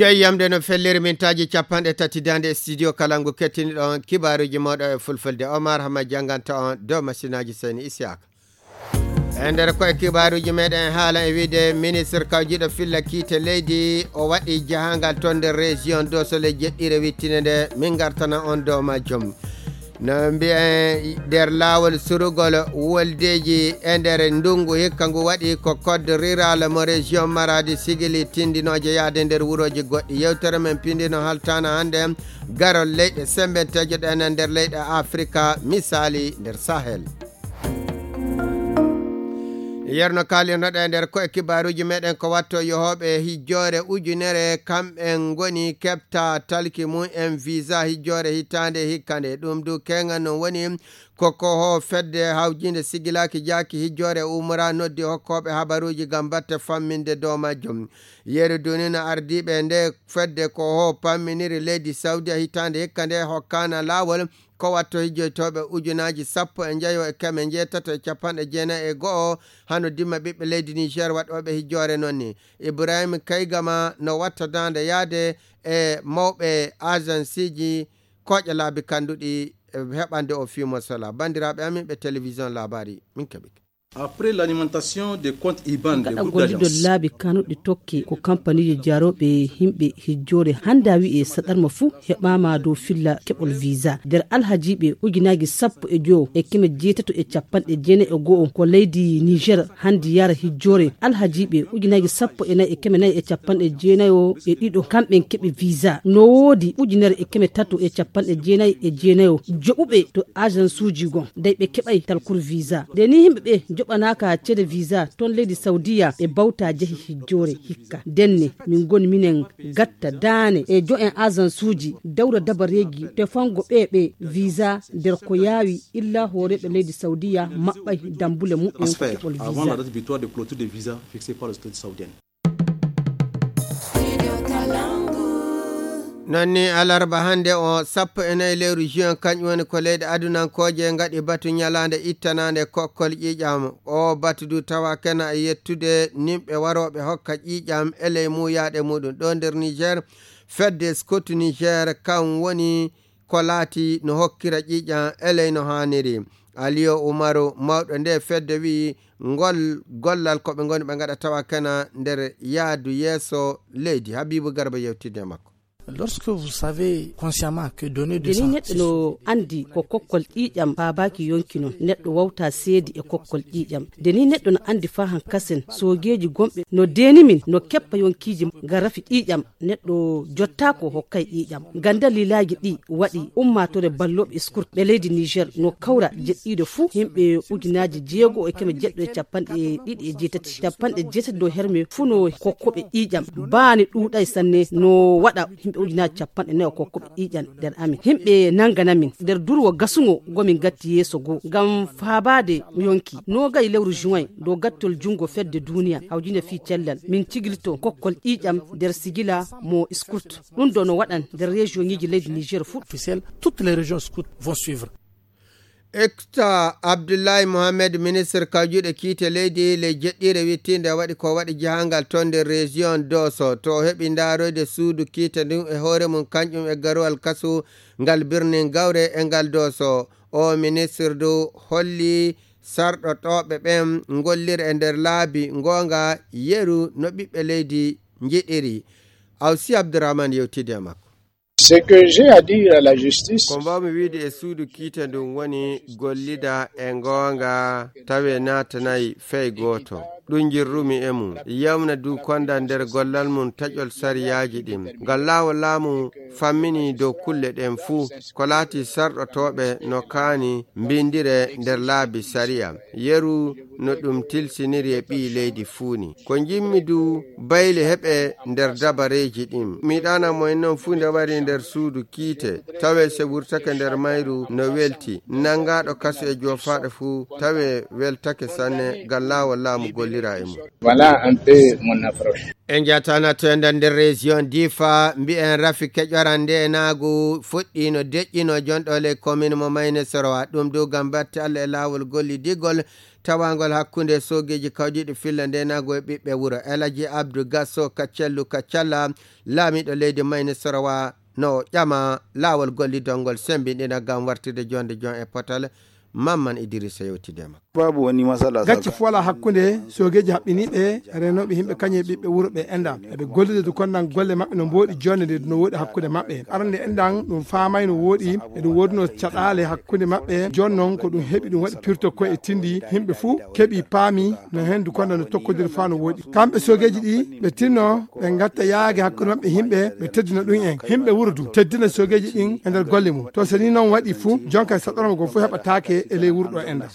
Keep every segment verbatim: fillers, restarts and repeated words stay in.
Eyi, yamde no felliri mintaaji capanɗe tati daande e studio Kalangu kettiniɗo on kibaaruuji mawɗo e fulfulde. Omar Hama jannganta on dow masinaaji Seyni Isiyaaka. E nder koye kibaaruuji meɗen haala e wiide ministre kawjiɗo filla kiite leydi o waɗi jahangal toon nder région Doso le jeɗɗire wittinde nde min ngartana on dow majjum. No mbiyen nder laawol surugol woldeeji e nder ndunngu hikka ngu waɗi ko code rural mo région Maradi sigili tindinooje yaade nder wurooji goɗɗi. Yewtere men pindino haltaana hannde garol leyɗe sembenteeje ɗen e nder leyɗe Afrika, misaali nder Sahel. Yerno kaalirnoɗe e nder koye kibaaruuji meɗen ko watto yohooɓe hijjoore ujunere kamɓen ngoni keɓta talki mum en visa hijjoore hitaande hikkande. Ɗum du keŋan non woni ko ko ho fedde hawjinde sigilaaki jaaki hijjoore umra noddi hokkooɓe habaruuji ngam batte famminde dow majjum. Yeru dunino ardiiɓe nde fedde ko ho pamminiri leydi Saudi hitaande hikka nde hokkana laawol ko watto hijjoytooɓe ujunaaji sappo e njayo e keme njeetato e capanɗe jeenayi e go'o hano dimma ɓiɓɓe leydi Niger waɗooɓe hijjoore non ni. Ibrahim Kaygama no watta daande yaade e mawɓe agenceji kooƴe laabi kanduɗi e heɓande o fimo sola. Banndiraaɓe amin ɓe télévision Labari, min keɓike. Après l'alimentation des comptes iban de gaɗa groupe golliɗo d'agence laabi kanuɗi tokki ko kampaniiji jarooɓe himɓe hijjoore hannde a wi'e saɗarma fuu heɓaama dow filla keɓol visa nder alhajiiɓe ujunaaji sappo e jowo e keme jeetato e capanɗe jeenayi e go'o ko leydi Niger hannde yara hijjoore alhajiiɓe ujunaaji sappo e nayi e keme nayi e capanɗe jeenayo e ɗiɗo kamɓen keɓi visa no woodi ujunere e keme tato e capanɗe jeenayi e jeenayo joɓuɓe to agensuuji gon dey ɓe keɓay talkuru visa nde ni yimɓe ɓe joɓanaaka ceede visa ton leydi Saudiya ɓe bawta jehi hijjoore hikka ndenne min ngoni minen gatta daane e jo'en agensuuji dawra dabareeji tefango ɓe ɓe visa nder ko yaawi illa hooreeɓe leydi Saudiya maɓɓay dambule muɓɓen ko keɓol visa. Noon ni alarba hannde o sappo e nayi lewru juin kañum woni ko leyɗe adunankooje ngaɗi batu ñalaande ittanaande kokkol ƴiiƴam. O batu du tawa kena e yettude nimɓe warooɓe hokka ƴiiƴam e ley muuyaaɗe muɗum ɗo nder Niger. Fedde Scout Niger kam woni ko laati no hokkira ƴiiƴam e ley no haaniri. Aliyo Umaru mawɗo nde fedde wi'i ngol gollal ko ɓe ngoni ɓe ngaɗa tawa kena nder yaadu yeeso leydi. Habibu Garba yewtidde e makko. Lorsque vous savez consciemment que donner de nde ni sang neɗɗo no anndi ko kokkol ƴiiƴam faabaaki yonki non neɗɗo wawta seedi e kokkol ƴiiƴam. Nde ni neɗɗo no anndi faa hankasen soogeeji gonɓe no deeni min no keppa yonkiiji ngam rafi ƴiiƴam neɗɗo jottaako hokkay ƴiiƴam. Ngam daliilaaji ɗi waɗi ummaatoore ballooɓe Scout ɓe leydi Niger no kawra jeɗɗiiɗo fuu himɓe ujunaaji jeego e keme jeɗɗo e capanɗe ɗiɗi e jeetati capanɗe jeetati dow herme fuu no kokkoɓe ƴiiƴam baani ɗuuɗay sanne no waɗa himɓe ujunaaji capanɗe nayo kokkoɓe ƴiiƴam nder amin himɓe nangana min nder durwo gasungo gomin gatti yeeso goo ngam faabaade yonki noogay lewru juin dow gattol junngo fedde duuniya hawjinde fii cellal min cigilto kokkol ƴiiƴam nder sigila mo Scout ɗum ɗo no waɗan nder région ŋiji leydi Niger fuu. Officiel toutes les régions Scout vont suivre. Ekta Abdullahi Mohamed ministre kawjuɗe kiite leydi ley jeɗɗire wittinde waɗi ko waɗi jahangal toon nder région Doso to o heɓi ndaaroyde suudu kiite ndin e hoore mum kañƴum e garuwal kasu ngal birnin gawre e ngal Doso. O ministre du holli sarɗotooɓe ɓen ngollira e nder laabi goonga yeru no ɓiɓɓe leydi njiɗiri. Awsi Abdourahmane yewtidi e makko. Ce que j'ai à dire à la justice. Ko mbawmi wiide e suudu kiite ndun woni gollida e goonga tawe naatanayi fey gooto. Ɗum njirrumi e mum. Yawna du konda nder gollal mum taƴol sariyaaji ɗin. Ngal laawol laamu fammini dow kulle ɗen fuu. Ko laati sarɗotooɓe no kaani mbindire nder laabi sariya. Yeru no ɗum tilsiniri e ɓii leydi fuu ni. Ko njimmi du bayle heɓe nder dabareeji ɗin. Mi ɗaana mo en non fuu nde wari nde nder suudu kiite, tawe se wurtake nder mayru no welti, nangaaɗo kasu e joofaaɗo fuu, tawe weltake sanne, ngam laawol laamu gollira e mum. Voilà un peu mon approche. En jatana to enda nder région Difa, mbi'en rafi keƴoran nde naagu fuɗɗino deƴƴino jonɗo ley commune mo Mayne Sorowa. Ɗum du ngam batte Allah e laawol gollidigol tawangol hakkunde soogeeji kawdiiɗi filla nde naagu e ɓiɓɓe wuro. Elaji Abdou Gasso Kaccellu Kaccalla, laamiiɗo leydi Mayne Sorowa, no ƴama laawol gollidol ngol sembinɗina ngam wartirde jonde jon e potal. Mamman Idrissa yewtide makko. Babu woni masala. Gacce fof alaa hakkunde soogeeji haɓɓiniiɓe renooɓe yimɓe kañum e ɓiɓɓe wuro ɓe enɗan. Eɓe gollida du kondan golle maɓɓe no mbooɗi jonde nde no woɗi hakkunde maɓɓe. Arande enɗan ɗum faamay no woɗi, e ɗum woduno caɗaale hakkunde maɓɓe. Jooni noon ko ɗum heɓi ɗum waɗi pirto koye e tindi. Yimɓe fuu keɓi paami no heen du kondan no tokkodiri faa no woɗi. Kamɓe soogeeji ɗi ɓe tinno ɓe ngatta yaage hakkunde maɓɓe yimɓe, ɓe teddina ɗum en. Yimɓe wuro du teddina soogeeji ɗin e nder golle mum. To so ni noon waɗi fuu, jonka saɗorma goo fuu heɓataake e ley wuro ɗo enɗan.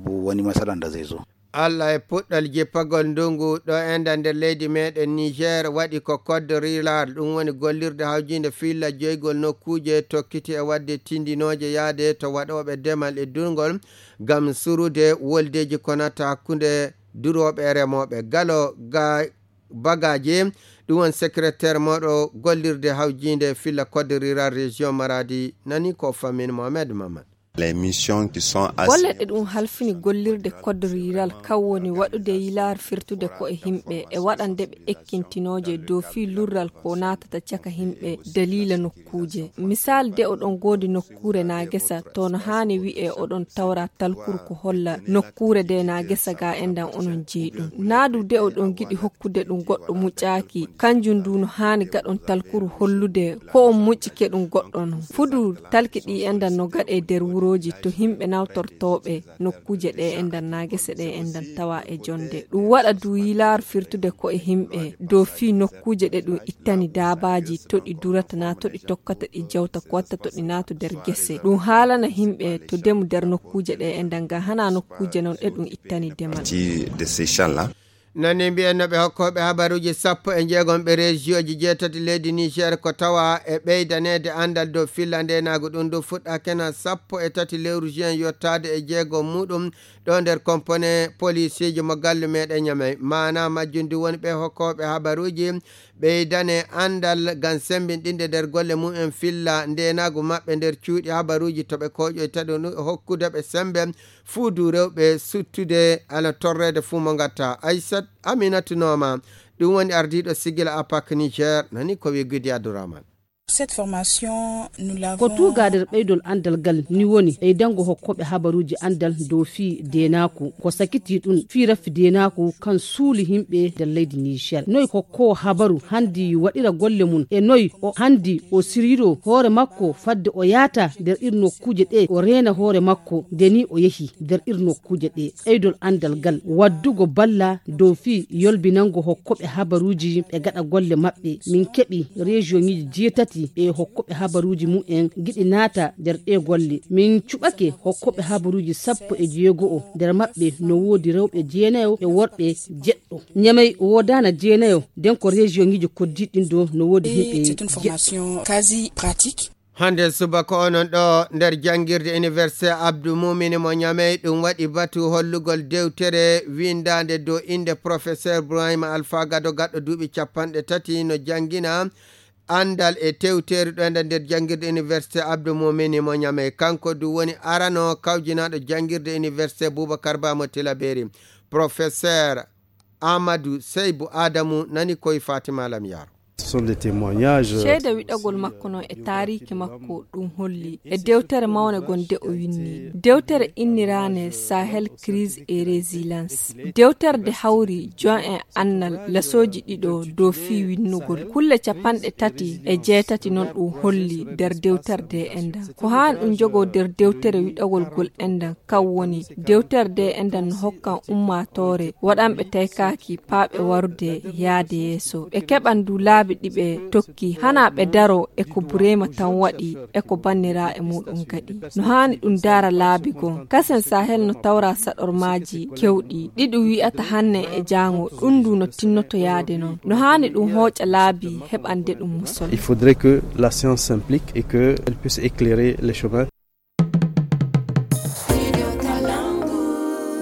Woni masalanda zezo. Allah e puɗɗal jippagol ndungu ɗo enɗan nder leydi meɗen Niger waɗi ko code rural, ɗum woni gollirde hawjinde filla joygol nokkuuje tokkiti e waɗde tindinooje yaade to waɗooɓe demal e durngol ngam surude woldeeji konata hakkunde durooɓe e remooɓe. Galo ga Bagaje, ɗum woni secrétaire mawɗo gollirde hawjinde filla code rural région Maradi, nani ko fammin Mohamed Maman. Les missions qui sont golle ɗe ɗum halfini gollirde code rural kan woni waɗude yilaar firtude ko e himɓe e waɗande ɓe ekkintinooje dow fii lurral ko naatata caka himɓe daliila nokkuuje. Misaal de oɗon goodi nokkuure na gesa to no haani wi'e oɗon tawra talkuru ko holla nokkuure de na gesa ga enɗan onon jeyi ɗum. Naa du de oɗon giɗi hokkude ɗum goɗɗo muƴƴaaki, kanjum du no haani gaɗon talkuru hollude ko on muƴƴike ɗum goɗɗo non. Fudu talki ɗi enɗan no gaɗe nder wurooji to himɓe nawtortooɓe nokkuuje ɗe enɗan na gese ɗe enɗan tawa e jonde. Ɗum waɗa du yilaar firtude ko e himɓe dow fii nokkuuje ɗe ɗum ittani daabaaji to ɗi durata na to ɗi tokkata ɗi jawta ko watta to ɗi naatu nder gese. Ɗum haalana himɓe to demu nder nokkuuje ɗe enɗan ga hana nokkuuje non ɗe ɗum ittani demal. Partie de ces champs-là. Nani mbiyen no ɓe hokkooɓe habaruuji sappo e jeegom ɓe rejiyoji jeetati leydi Niger ko tawa e ɓeydaneede anndal dow filla ndenaagu ɗum du fuɗɗaakena sappo e tati lewru juin yottaade e jeegom muɗum ɗo nder kompone polisiiji mo galle meɗen Ñamey. Maana majjum du woni ɓe hokkooɓe habaruuji ɓeydane anndal ngam semmbinɗinde nder golle mumen filla ndenaagu maɓɓe nder cuuɗi habaruuji to ɓe kooƴoyta ɗum hokkude ɓe semmbe fuu du rewɓe suttude ala torreede fuu mo ngatta. Aissat Aminatu Nooma, ɗum woni ardiiɗo Sigila Apak Niger, nani ko wi Gudi Abdourahmane. Cette formation, nous l'avons ko tuuga nder ɓeydol anndal ngal ni woni ɓeydango hokkooɓe habaruuji anndal dow fii deenaaku. Ko sakiti ɗum fii raffi deenaaku kan suuli yimɓe nder leydi Niger. Noy hokkoowo habaru handi waɗira golle mum e noy o handi o siriro hoore makko fadde o yaata nder ir nokkuuje ɗe o reena hoore makko nde ni o yehi nder ir nokkuuje ɗe. Ɓeydol anndal ngal waddugo balla dow fii yolbinango hokkooɓe habaruuji ɓe gaɗa golle maɓɓe. Min keɓi rejiyoŋiiji jeetati e hokkooɓe habaruuji mumen giɗi naata nder ɗe golle. Min cuɓake hokkooɓe habaruuji sappo e jeego'o, nder maɓɓe no woodi rewɓe jeenayo e worɓe jeɗɗo. Ñamey woodaana jeenayo, nden ko rejiyoŋiiji koddiiɗi ɗin do no woodi yimɓe jeɗɗo. Quasi pratique. Hannde subaka onon ɗo nder janngirde Université Abdou Mumini mo Ñamey, ɗum waɗi batu hollugol dewtere winndaande dow innde Professeur Ibrahima Alpha Gado, gaɗɗo duuɓi capanɗe tati, no janngina anndal e tewteeri ɗo enda nder janngirde Université Abdou Mumini mo Ñamey. Kanko du woni arano kawjinaaɗo janngirde Université Boubacar Ba mo Tilaberi, Professeur Amadou Seybu Adamu, nani koye Fatima Lam Yaro. Ce sont des témoignages. Ceede wiɗagol makko noon e taariiki makko ɗum holli e dewtere mawnde gonde o winni. Dewtere inniraane Sahel Crise et Résilience. Dewtere de hawri jon en annal lasooji ɗiɗo dow fii winnugol. Kulle capanɗe tati e jeetati noon ɗum holli nder dewtere de endan. Ko haan ɗum jogoo nder dewtere wiɗagol gol endan. Kan woni, dewtere de enɗan no hokkan ummaatoore waɗanɓe taykaaki paaɓe warude yaade yeeso. Ɓe keɓan du laabi Ɗi ɓe tokki, hana ɓe daro e ko Burema tan waɗi e ko bannira e muɗum kadi. No haani ɗum dara laabi goo. Kasen Sahel no tawra saɗormaaji kewɗi, ɗi ɗum wi'ata hanne e jaango, ɗum ndu no tinnoto yaade noon. No haani ɗum hooƴa laabi heɓande ɗum musol. Il faudrait que la science s'implique et que elle puisse éclairer les chemins.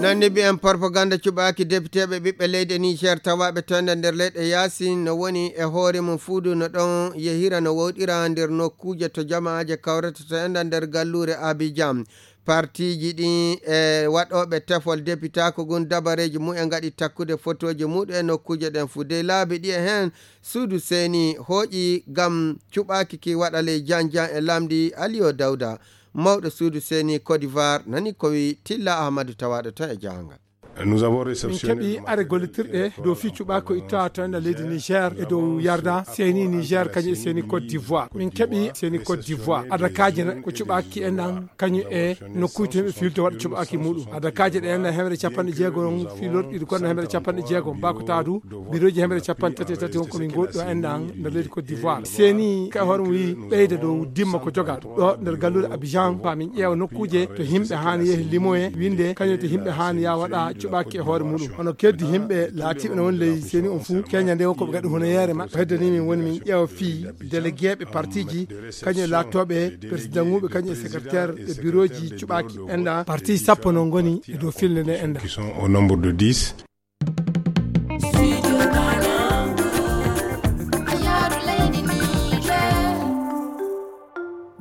Nanni mbiyen, propaganda cuɓaaki depiteeɓe ɓiɓɓe leydi Niger tawaaɓe to ender nder leyɗe yaasin no woni e hoore mum fuudu no ɗon yehira no wowɗira nder nokkuuje to jama'aaje kawrata to ender nder galluure Abidjan. Partiiji ɗin e waɗooɓe tefol depitaaku ngun dabareeji mum e ngaɗi takkude fotooji muɗum e nokkuuje ɗen fuu. Dey laabi ɗi e heen suudu seeni hooƴi ngam cuɓaaki ki waɗa ley janjan e lamndi Aliyo Dawda. Mawɗo suudu seeni Côte d'Ivoire nani ko wi Tilla Ahmadu tawaaɗo toon e jahangal. Nous avons min réceptionné keɓi are gollitirɗe dow fii cuɓaako itta to ender leydi Niger e dow yarda seeni Niger kañum e seeni Côte d'Ivoire. Min keɓi seeni Côte d'Ivoire adakaaji na ko cuɓaaki en ɗan kañum e nokkuuje to yimɓe filto waɗa cuɓaaki muɗum. Adakaaji ɗe ender hemre capanɗe jeegom filorɗi ɗi konno hemre capanɗe jeegom bako taadu birooji hemre capanɗe tati e tati won ko min ngoɗɗo en ɗan nder leydi Côte d'Ivoire. Seeni ka hoore mum wi ɓeyda dow dimma ko jogaɗo ɗo nder galluure Abidjan, fa min ƴeewa nokkuuje to yimɓe haani yehi limoye winde kañum to yimɓe haani ya waɗa cuɓaaki e hoore muɗum. Hono keddi yimɓe laatiiɓe no woni ley seeni on fuu, keña nde won ko ɓe gaɗi hunayeere maɓɓe. Hedde ni min woni min ƴeewa fii déléguéɓe partiiji, kañum e laattooɓe présidentuuɓe, kañum e secrétaire e birooji cuɓaaki enda. Parti sappo no ngoni e dow filnde nde enda. Qui sont au nombre de dix.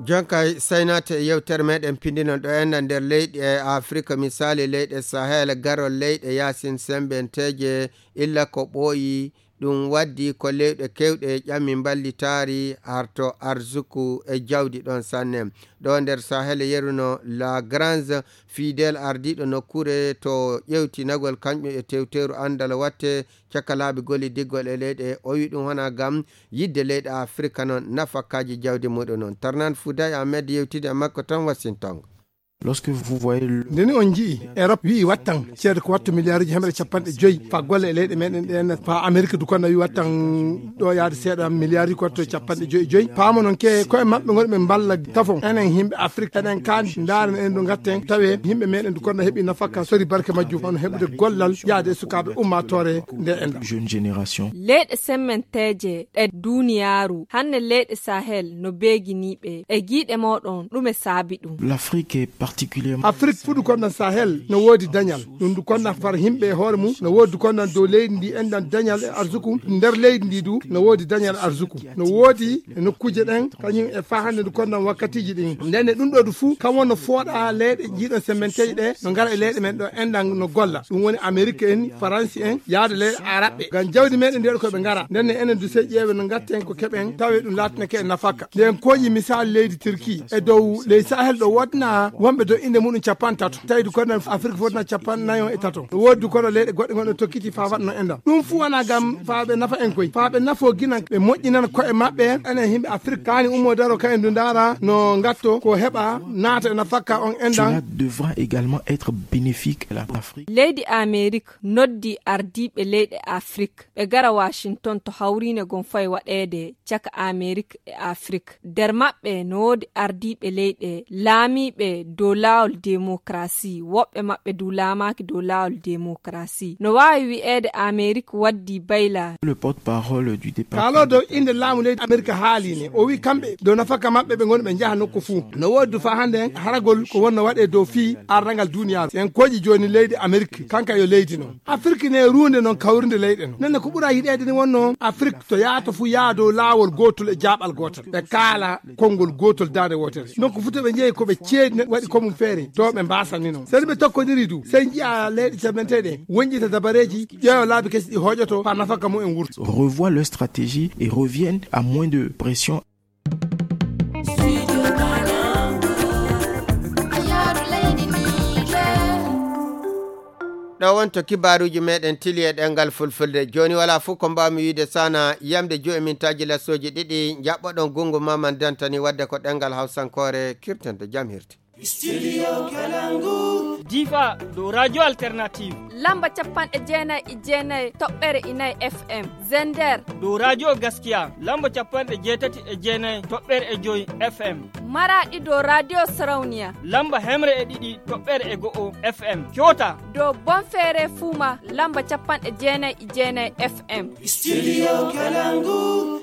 Jonkay saynate e yewtere meɗen pindinon ɗo enna nder leyɗe Afrika, misali leyɗe Sahel, garol leyɗe yasin sembenteeje, illa ko ɓooyi. Ɗum waddi ko leyɗe kewɗe ƴami mballitaari harto arsuku e jawdi ɗon sanne. Ɗo nder Sahel yeruno La Grange Fidel, ardiiɗo nokkuure to ƴewtinagol kañƴum e tewteeru anndal watte caka laabi gollidiggol e leyɗe, o wi ɗum wona gam yidde leyɗe Afrika noon nafakaaji jawdi muɗum noon. Tarnan Fouday Ahmed yewtidi e makko toon Washington. Lorsque vous voyez le Nde ni on nji'i Europe wi'i wattan ceede ko wattu miliyaaruji hemre capanɗe joyi fa golle e leyɗe meɗen ɗen, fa Amerique du kono wi wattan ɗo yaade seeɗa miliyaaruji ko wattu capanɗe joyi joyi. Paamo noon ke koye maɓɓe ngonɓe mballa tafon. Enen yimɓe Afrique eɗen kaani ndaaren en ɗo ngatten tawe yimɓe meɗen du kono heɓi nafaka sori barke majjum hono heɓude gollal yaade e sukaaɓe ummaatoore nde enɗa. Jeune génération. Leyɗe semmenteeje ɗe duniyaaru, hannde leyɗe Sahel no beeginiiɓe e giiɗe mooɗon, ɗume saabi ɗum? L'Afrique est particulièrement Afrique fuɗu konnan Sahel no woodi dañal. Ɗum du konnan far yimɓe e hoore mum no woodi du konnan dow leydi ndi enɗan dañal e arsuku. Nder leydi ndi du no woodi dañal arsuku. No woodi e nokkuuje ɗen, kañum e faa hannde du konnan wakkatiiji ɗin. Nden e ɗum ɗo du fuu, kam wonno fooɗa leyɗe jiiɗon semmenteeje ɗe, no ngara e leyɗe men ɗo enɗan no golla. Ɗum woni Amerique en, Faransi en, yaade leyɗe Araɓɓe. Ngam jawdi meɗen ndi waɗi ko ɓe ngara. Nden ne enen du sey ƴeewe no ngatten ko keɓen, tawe ɗum laatinake en nafaka. Nden kooƴi misal leydi Turki. E dow ley Sahel ɗo wodna wonɓe dow innde muɗum capanɗe tato. Tawi du kono Afrique fodna capanɗe nayo e tato. No woodi du kono leyɗe goɗɗe gonɗe tokkiti faa waɗno enɗan. Ɗum fuu wona ngam faa ɓe nafa en koy. Faa ɓe nafo ginan ɓe moƴƴinan ko'e maɓɓe. Enen yimɓe Afrique kaani ummo daro ka en du ndaara no ngatto ko heɓa naata e nafaka on enɗan. Cela devra également être bénéfique à l'Afrique. Leydi Amerique noddi ardiiɓe leyɗe Afrique ɓe gara Washington to hawriine gon fay waɗeede caka Amerique e Afrique. Nder maɓɓe no woodi ardiiɓe leyɗe laamiiɓe dow laawol demokrasi, woɓɓe maɓɓe du laamaaki dow laawol demokrasi. No waawi wi'eede Amerique waddi bayla. Le porte-parole du département Kaalo dow innde laamu leydi Amerique haali ne. O wi kamɓe dow nafaka maɓɓe ɓe ngoni ɓe njaha nokku fuu. No woodi du faa hannde haragol ko wonno waɗee dow fii arrangal duniyaaru. En kooƴi jooni leydi Amerique, kanka yo leydi non. Afrique ne ruunde non kawrinde leyɗe non. Nenne ko ɓura yiɗeede ni wonno Afrique to yaato fuu yaa dow laawol gootol e jaaɓal gootal. Ɓe kaala konngol gootol daande wootere. Donc futa ɓe njeyi ko ɓe ceedi ne waɗi ko mum feere. To ɓe mbaasani non. Seni ɓe tokkoniri du. Sey njiya leyɗe camanteɗe. Wonƴita dabareeji, ƴeewa laabi kesi ɗi hooƴoto faa nafaka mum en wurta. Revoient leur stratégie et reviennent à moins de pression. Ɗo wonto kibaaruuji meɗen tili e ɗemngal fulfulde. Jooni walaa fof ko mbaawmi wiide sana yamde joyi mintaaji lassooji ɗiɗi, njaɓɓoɗon gunngu Maman Dantani waɗde ko ɗemngal hawsankoore kirtanto jam hirti. Studio Kalangu. Difa dow Radio Alternative. Lamba capanɗe jeenayi e jeenayi toɓɓere inayi F M. Zender. Dow Radio Gaskiya. Lamba capanɗe jeetati e jeenayi toɓɓere e joyi F M. Maraɗi dow Radio Sarauniya. Lamba hemre e ɗiɗi toɓɓere e go'o F M. Kyota. Dow Bonfere Fuma. Lamba capanɗe jeenayi e jeenayi F M. Studio Kalangu.